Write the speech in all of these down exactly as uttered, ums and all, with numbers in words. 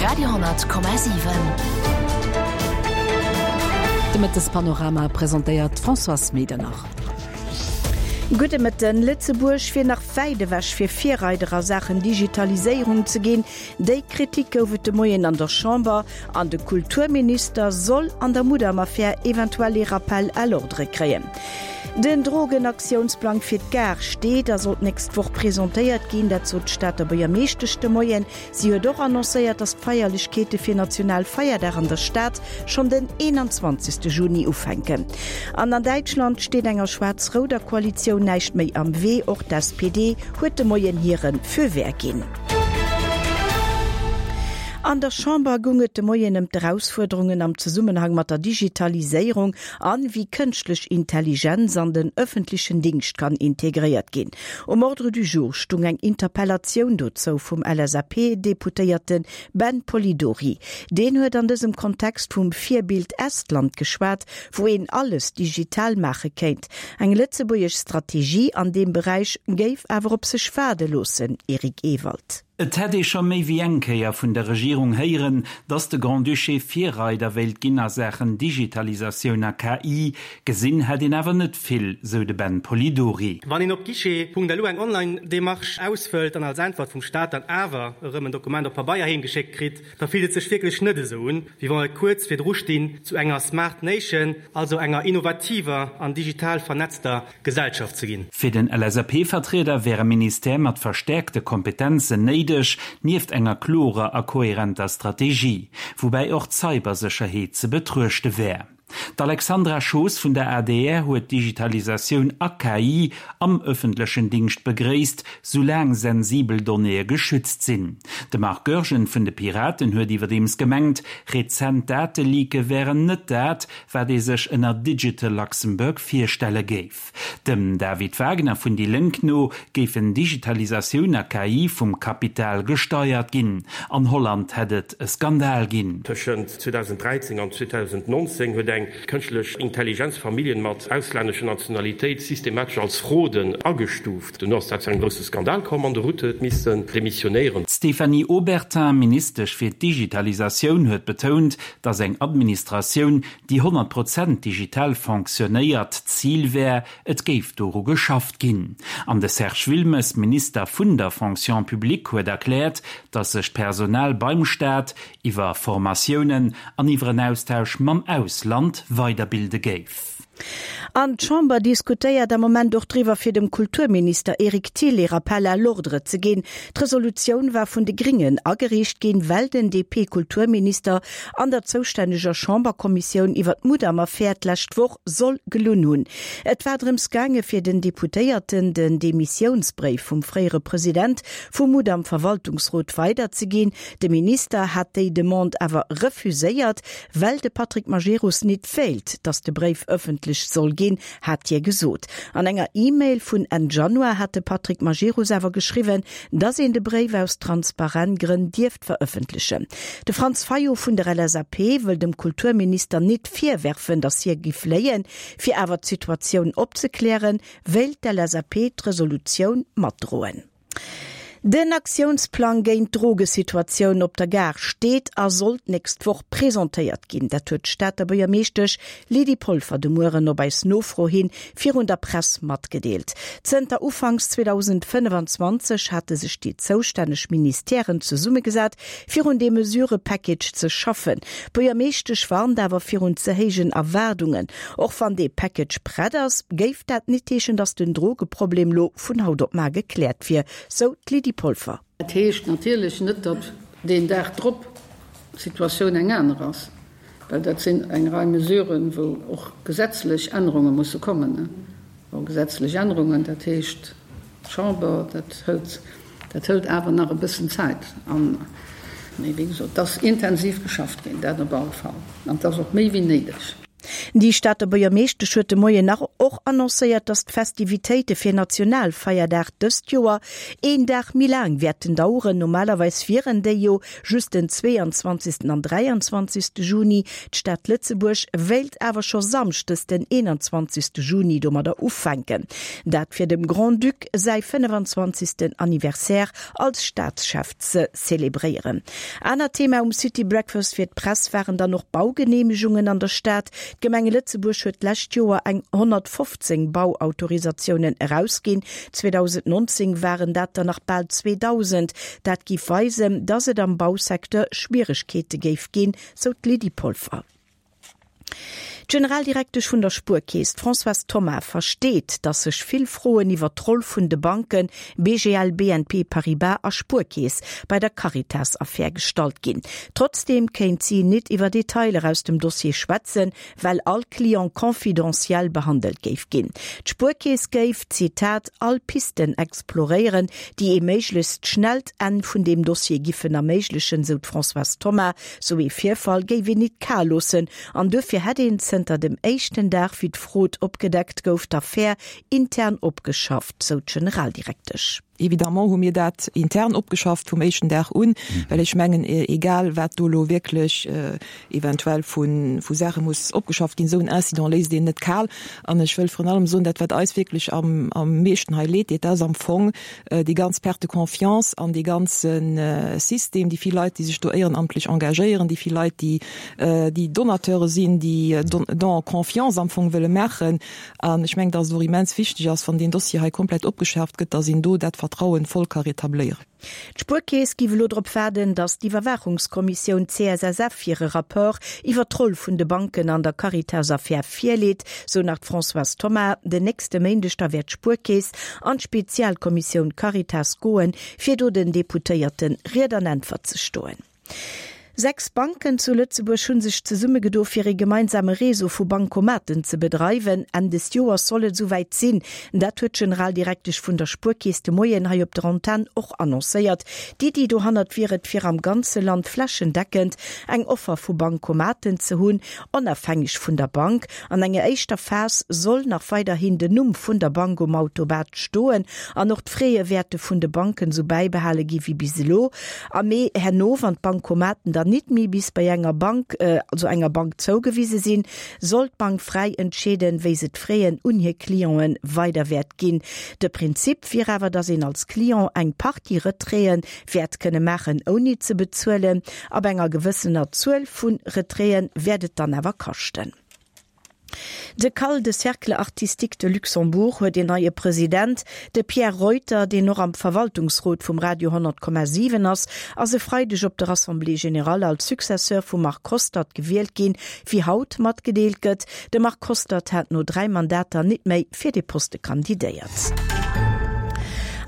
Radio honnert Komma siwen. De Mëttespanorama presentéiert d'Françoise Medernach. Gudde Mëtten. Lëtzebuerg wier nach wäit ewech fir Virreider a Saachen Digitaliséierung ze ginn. Déi Kritik gouf et de Moien an der Chamber an de Kulturminister soll an der Mudam-Affär eventuell ee Rappel à l'ordre kréien. Den Drogenaktiounsplang fir d'Gare steet a soll d'nächst Woch presentéiert ginn, dat sot d'Stater Buergermeeschtesch de Moien. Si huet och annoncéiert, datt d'Feierlechkeete fir Nationalfeierdag an der Stad schonn den eenanzwanzegste Juni ufänken. An an Däitschland steet enger schwaarz-rouder Koalitioun näischt méi am Wee, och d'S P D huet de Moien hire Feu vert ginn. An der Chamber goung et de Moien ëm d'Erausfuerderungen am Zesummenhang mat der Digitaliséierung an wéi kënschtlech Intelligenz an den ëffentlechen Dingscht kann integréiert ginn. Um Ordre du jour stung eng Interpellatioun dozou vum L S A P-Deputéierte Ben Polidori. Deen huet an dësem Kontext vum Virbild Estland geschwat, wou een alles digital maache kéint. Eng lëtzebuergesch Strategie an deem Beräich géif awer op sech waarde loossen, Eric Ewald. Et hätt ee scho méi wéi eng Kéier vun der Regierung héieren, datt de Grand-Duché Virreider wéilt ginn a Saachen Digitalisatioun a K I. Gesinn hätt een awer net vill, sou de Ben Polidori. Wann een op guichet punkt L U eng Online-Demarche ausfëllt an als Äntwert vum Staat dann awer erëm en Dokument op Pabeier heemgeschéckt kritt, da fillt et sech wierklech net esou un, wéi wann et kuerz virdru stinn zu enger Smart Nation, also enger innovativer an digital vernetzter Gesellschaft ze ginn. Fir den L S A P-Vertrieder wär e Ministère mat verstärkte Kompetenzen néideg, nieft enger klorer a kohärenter Strategie, woubäi och d'Cybersécherheet ze betruechte wär. D'Alexandra Schoos vun der A D R huet Digitalisatioun a K I am ëffentlechen Dingscht begréisst, soulaang sensibel Donnéeë geschützt sinn. De Marc Goergen vun de Piraten huet iwwerdeems gemengt, rezent Dateleake wären net dat, wat ee sech ënner Digital Luxembourg virstelle géif. Dem David Wagner vun Die Link no géifen Digitalisatioun a K I vum Kapital gesteuert ginn. An Holland hätt et e Skandal ginn. Tëschent zweetausenddräizéng an zweetausendnonzéng huet eng kënschtlech Intelligenz Familljen mat auslännescher Nationalitéit systematesch als Fraude agestuft. Dono ass dat zu engem grouse Skandal komm an de Rutte huet missen demissionéieren. Stéphanie Obertin, Ministesch fir d'Digitalisatioun, huet betount, datt eng Administratioun, déi honnert Prozent digital fonctionnéiert, Zil wär, et géif doru geschafft ginn. An de Serge Wilmes, Minister vun der Fonction publique, huet erkläert, datt sech d'Personal beim Staat iwwer Formatiounen an iwwer en Austausch mam Ausland weiderbilde géif. An d'Chamber diskutéiert am Moment och driwwer fir dem Kulturminister Eric Thill e Rappel à l'ordre ze ginn. D'Resolutioun war vun de Gringen agereecht ginn, well den D P-Kulturminister an der zoustänneger Chamberkommissioun iwwer d'Mudam-Affär d'lescht Woch soll gelunn hunn. Et war drëms gaange fir den Deputéierten den Demissiounsbréif vum fréiere President vum Mudam-Verwaltungsrot weiderzeginn. De Minister hat déi Demande awer refuséiert, well de Patrick Majerus nit wéilt, datt de Bréif ëffentlech soll ginn, hat hie gesot. An enger E-Mail vun Enn Januar hat de Patrick Majerus awer geschriwwen, datt een de Bréif aus Transparenzgrënn dierft verëffentlechen. De Franz Fayot vun der L S A P wëll dem Kulturminister nit virwerfen, datt hie giff léien, fir awer d'Situatioun opzeklären, wéilt d'L S A P d'Resolutioun matdroen. Den Aktiounsplang géint d'Drogesituatioun op der Gare steet a soll d'nächst Woch presentéiert ginn. Dat huet d'Stater Buergermeeschtesch Lydie Polfer de Mueren op eis Nofro hin virun der Press matgedeelt. Zënter Ufanks zweetausendfënnefenzwanzeg hate sech déi zoustänneg Ministèren zesummegesat, fir un deem Mesurëpackage ze schaffen. D'Buergermeeschtesch warnt awer virun ze héijen Erwaardungen. Och wann dee Package prett ass, géif dat net heeschen, datt den Drogeproblem lo vun haut op mar gekläert wier, sou d'Lydie Polfer. Dat heescht natierlech net, datt deen Dag drop d'Situatioun eng aner ass, well dat sinn eng Rei Mesuren, wou och gesetzlech Ännerunge musse kommen, ne? Wou gesetzlech Ännerungen, dat heescht d'Chamber, dat hëlt, dat hëlt awer nach e bëssen Zäit. An, mee wéi gesot, dat ass intensiv geschafft ginn, dat op alle Fall. An dat ass och méi wéi néideg. Déi Stater Buergermeeschtesch huet de Moien nach och annoncéiert, datt d'Festivitéite fir Nationalfeierdag dëst Joer een Dag méi laang wäerten daueren. Normalerweis wieren déi jo just den zweeanzwanzegsten an dräianzwanzegste Juni. D'Stad Lëtzebuerg wéilt awer scho samschdes den eenanzwanzegste Juni domadder ufänken. Dat fir dem Grand-Duc säi fënnefenzwanzegsten Anniversaire als Staatschef ze zelebréieren. Anert Thema um City Breakfast fir d'Press waren dann och Baugeneemegungen an der Stad. D'Gemeng Lëtzebuerg huet d'lescht Joer eng honnertfofzéng Bauautorisatiounen erausginn, zweedausendnonzéng waren dat der nach bal zweedausend. Dat géif weisen, datt et am Bausecteur Schwieregkeete géif ginn, sou d'Lydie Polfer. D'Generaldirektesch vun der Spuerkeess, d'Françoise Thoma, versteet, datt sech vill Froen iwwer d'Roll vun de Banken B G L, B N P Paribas a Spuerkeess bei der Caritas-Affär gestallt ginn. Trotzdeem kéint si nit iwwer Detailer aus dem Dossier schwätzen, well all Client confidentiel behandelt géif ginn. D'Spuerkeess géif, Zitat, all Pisten exploréieren, déi ee méiglechst schnellt Enn vun deem Dossier giffen erméiglechen, sou d'Françoise Thoma. Sou ee Virfall géif een nit kal loossen an duerfir hätt een zënter dem éischten Dag, wéi d'Frod opgedeckt gouf, d'Affär intern opgeschafft, sou d'Generaldirektesch. Évidemment hu mir dat intern opgeschafft vum éischten Dag un, well ech mengen, egal wat do elo wierklech eventuell vu vu Saache muss opgeschafft ginn, esou en Incident léisst een net kal. An ech wëll virun allem soen, dat wat eis wierklech am am meeschten hei leed deet, dat ass am Fong déi ganz Perte de confiance an dee ganze System, déi vill Leit, déi sech do éierenamtlech engagéieren, déi vill Leit, déi déi Donateure sinn, déi Don en confiance am Fong wëlle maachen. An ech mengen, datt et och immens wichteg ass, wann deen Dossier hei komplett opgeschaaft gëtt, datt een do dat Vertrauen voll ka retabléieren. D'Spuerkeess géif elo drop waarden, datt d'Iwwerwaachungskommissioun C S S F hire Rapport iwwer d'Roll vun de Banken an der Caritas-Affär virleet, sou nach d'Françoise Thoma. Den nächste Méindeg da wäert d'Spuerkeess an d'Spezialkommissioun Caritas goen, fir do den Deputéierte Ried an Äntwert ze stoen. Sechs Banken zu Lëtzebuerg hu sech zesummegedo fir ee gemeinsame Réseau vu Bancomaten ze bedreiwen. Enn des Joers soll et souwäit sinn. Dat huet d'Generaldirektesch vun der Spuerkeess de Moien hei op der Antenn och annoncéiert. D'Iddi dohannert wier et, fir am ganze Land flächendeckend eng Offer vu Bancomaten ze hunn, onafhängeg vun der Bank. An enger éischter Phas soll nach weiderhin den Numm vun der Bank um Automat stoen an och d'Fraie wäerte vun de Banken sou bäibehale gi wéi bis elo. Am Mee herno, wann d'Bancomaten dann nit méi bis bei enger Bank, also enger Bank zougewise sinn, soll d'Bank fräi entscheeden, wéi se d'Fraien un hir Clienten weider wäert ginn. De Prinzip wier awer, dass een als Client eng Partie Retraiten wäert kënne maachen ouni ze bezuelen, ab enger gewëssener Zuel vu Retraiten wäert et dann awer kaschten. De CAL, de Cercle Artistique de Luxembourg, huet een neie President. De Pierre Reuter, deen och am Verwaltungsrot vum Radio honnert Komma siwen ass, ass e Freideg op der Assemblée générale als Successeur vum Marc Hostert gewielt ginn, wéi haut matgedeelt gëtt. De Marc Hostert hat no dräi Mandater nit méi fir de Poste kandidéiert.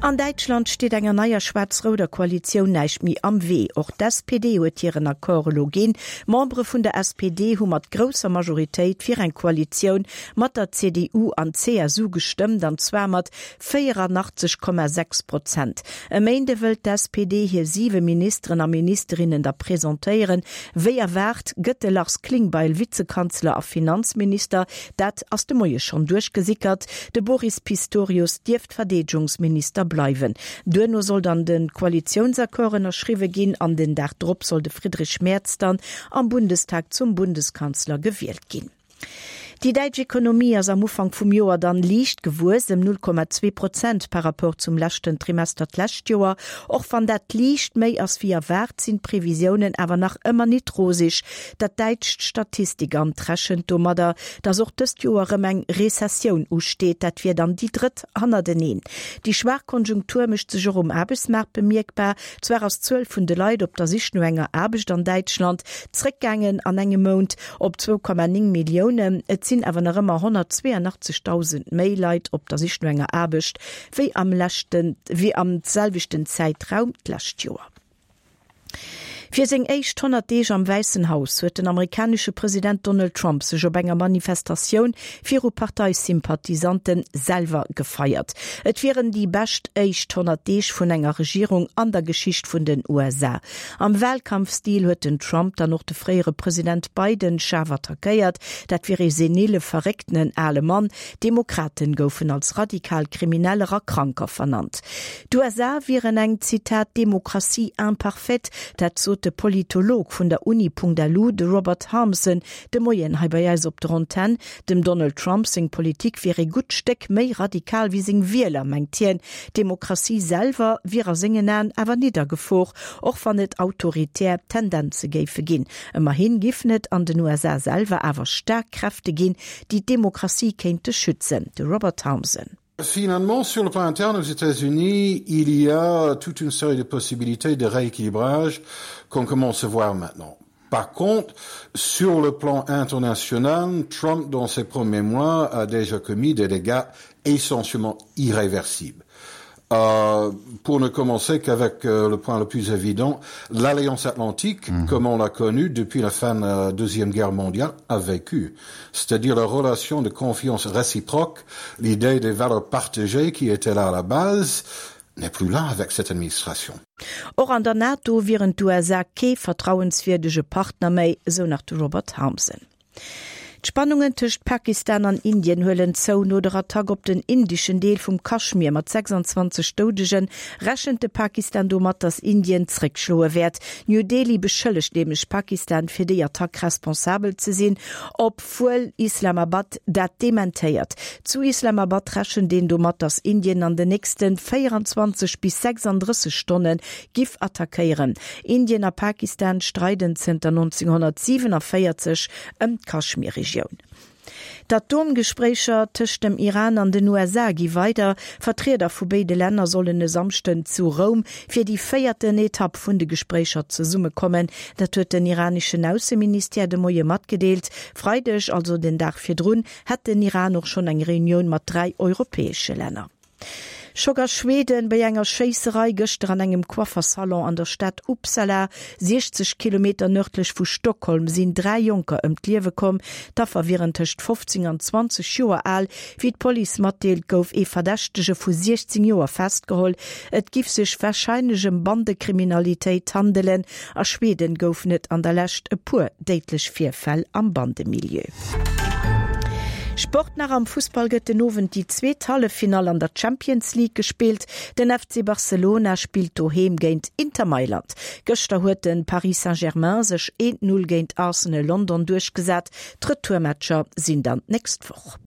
An Däitschland steet enger neier schwaarz-rouder Koalitioun näischt méi am Wee. Och d'S P D huet hiren Accord elo ginn. Membere vun der S P D hu mat grousser Majoritéit fir eng Koalitioun mat der C D U an C S U gestëmmt, an zwar mat véierundaachtzeg Komma sechs Prozent. E Méinde wëllt d'S P D hir siwe Ministeren a Ministerinnen da presentéieren. Wéi erwaart gëtt de Lars Klingbeil Vizekanzler a Finanzminister, dat ass de Moie schonn duerchgesickert. De Boris Pistorius dierft Verdeedegungsminister bleiwen. Duerno soll dann de Koalitiounsaccord ënnerschriwwe ginn an den Dag drop soll de Friedrich Merz dann am Bundestag zum Bundeskanzler gewielt ginn. Déi däitsch Ekonomie ass am Ufank vum Joer dann liicht gewuess ëm null Komma zwee Prozent par rapport zum leschten Trimester d'lescht Joer. Och wann dat liicht méi ass wéi erwaart, sinn d'Previsiounen awer nach ëmmer nit roseg. Dat däitscht Statistikamt rechent domadder, datt och dëst Joer erëm eng Rezessioun usteet, dat wier dann déi drëtt hannerteneen. Déi schwaach Konjunktur mécht sech och um Aarbechtsmaart bemierkbar. Zwar ass d'Zuel vun de Leit op der Sich no enger Aarbecht an Däitschland zréckgaangen an engem Mount op zwou Komma néng Milliounen, et sinn awer nach ëmmer honnertzweeanachtzegdausend méi Leit op der Sich no enger Aarbecht wéi am leschten, wéi am selwechten Zäitraum d'lescht Joer. Fir seng éischt honnert Deeg am Wäissen Haus huet den amerikanesche President Donald Trump sech op enger Manifestatioun viru Parteisympathisante selwer gefeiert. Et wieren déi bescht éischt honnert Deeg vun enger Regierung an der Geschicht vun den U S A. Am Walkampfstil huet den Trump dann och de fréiere President Biden schaarf attackéiert, dat wier ee senile, verréckten ale Mann. Demokraten goufen als radikal Krimineller a Kranker vernannt. D'U S A wieren eng, Zitat, Démocratie imparfaite, dat sot de Politolog vun der Uni Punkt L U, de Robert Harmsen, de Moien hei bei eis op der Antenn. Dem Donald Trump seng Politik wier e gutt Stéck méi radikal wéi seng Wieler, mengt hien. D'Demokratie selwer wier a sengen Aen awer net a Gefor, och wann et autoritär Tendenze géife ginn. Ëmmerhi giffen et an den U S A selwer awer staark Kräfte ginn, déi d'Demokratie kéinte schützen. De Robert Harmsen. Finalement, sur le plan interne aux États-Unis, il y a toute une série de possibilités de rééquilibrage qu'on commence à voir maintenant. Par contre, sur le plan international, Trump, dans ses premiers mois, a déjà commis des dégâts essentiellement irréversibles. Euh, pour ne commencer qu'avec euh, le point le plus évident, l'Alliance atlantique, mmh. comme on l'a connue depuis la fin de la Deuxième Guerre mondiale, a vécu. C'est-à-dire la relation de confiance réciproque, l'idée des valeurs partagées qui était là à la base, n'est plus là avec cette administration. Och an der NATO wieren d'U S A kee vertrauenswierdege Partner méi, sou nach de Robert Harmsen. D'Spannungen tëscht Pakistan an Indien huelen zou. No der Attack op den indeschen Deel vum Kaschmir mat sechsanzwanzeg Doudegen rechent de Pakistan domat, datt Indien zréckschloe wäert. New Delhi beschëllegt nämlech Pakistan fir déi Attack responsabel ze sinn, obwuel Islamabad dat dementéiert. Zu Islamabad rechent een domat, datt Indien an den nächste véieranzwanzeg bis sechsanddrësseg Stonne giff attackéieren. Indien a Pakistan streiden zënter nonzénghonnertsiewenevéierzeg ëm d'Kaschmir-Regioun. D'Atomgespréicher tëscht dem Iran an den U S A gi weider. Vertrieder vu béide Länner sollen e Samschden zu Roum fir déi véierten Etapp vun de Gespréicher zesummekommen. Dat huet den iraneschen Ausseministère de Moie matgedeelt. Freideg, also den Dag virdrun, hat den Iran och schonn eng Reunioun mat dräi europäesche Länner. Schock a Schweden bei enger Schéisserei gëschter an engem Coiffersalon an der Stad Uppsala, siechzeg Kilometer nërdlech vu Stockholm, sinn dräi Jonker ëm d'Liewe komm. D'Affer wieren tëscht fofzéng an zwanzeg Joer al. Wéi d'Police matdeelt, gouf ee Verdächtege vu siechzéng Joer festgeholl. Et giff sech warscheinlech ëm Bandekriminalitéit handelen. A Schweden goufen et an der Lescht e puer déidlech Virfäll am Bandemilieu. Sport nach. Am Fussball gëtt den Owend déi zweet Halleffinall an der Champions League gespillt. Den F C Barcelona spillt doheem géint Inter Mailand. Gëschter huet de Paris Saint-Germain sech een null géint Arsenal London duerchgesat. D'Retourmatcher sinn dann d'nächst Woch.